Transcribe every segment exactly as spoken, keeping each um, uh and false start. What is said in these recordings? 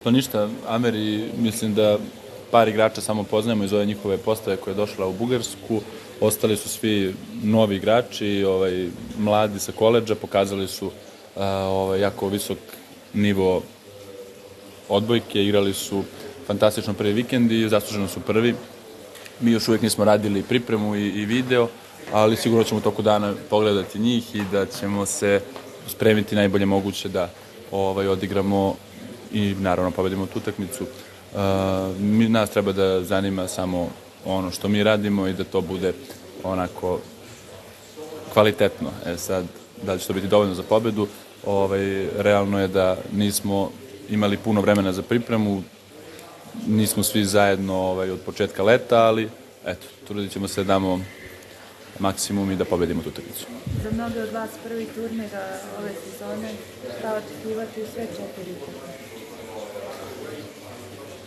To ništa, Ameri, mislim da par igrača samo poznajemo iz ove njihove postave koja je došla u Bugarsku. Ostali su svi novi igrači, ovaj, mladi sa koledža, pokazali su a, ovaj, jako visok nivo odbojke, igrali su fantastično prvi vikend i zasluženo su prvi. Mi još uvijek nismo radili pripremu i, i video, ali sigurno ćemo u toku dana pogledati njih i da ćemo se spremiti najbolje moguće da ovaj, odigramo i naravno pobedimo tu utakmicu. Uh, mi, nas treba da zanima samo ono što mi radimo i da to bude onako kvalitetno. E sad, da li će to biti dovoljno za pobedu? Ovaj, realno je da nismo imali puno vremena za pripremu, nismo svi zajedno ovaj, od početka leta, ali eto, trudit ćemo se da damo maksimum i da pobedimo tu utakmicu. Za mnoge od vas prvi turnir ove sezone, šta očekivati u sve četiri utakmice?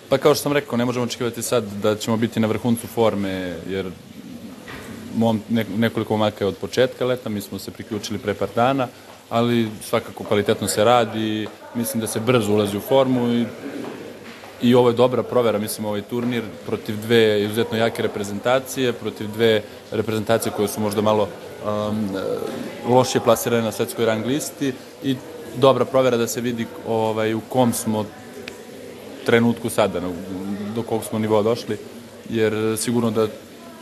Pa kao što sam rekao, ne možemo očekivati sad da ćemo biti na vrhuncu forme, jer mom, nekoliko momaka je od početka leta, mi smo se priključili pre par dana, ali svakako kvalitetno se radi, mislim da se brzo ulazi u formu i, i ovo je dobra provera, mislim, ovaj turnir protiv dve izuzetno jake reprezentacije, protiv dve reprezentacije koje su možda malo um, lošije plasirane na svetskoj rang listi i dobra provera da se vidi ovaj, u kom smo trenutku sada, do kog smo nivoa došli, jer sigurno da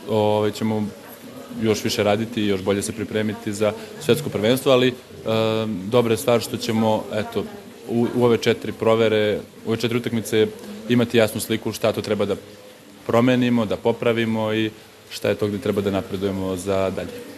ovaj, ćemo još više raditi i još bolje se pripremiti za svetsko prvenstvo, ali e, dobra je stvar što ćemo eto, u, u ove četiri provere, u ove četiri utakmice imati jasnu sliku šta to treba da promenimo, da popravimo i šta je to gde treba da napredujemo za dalje.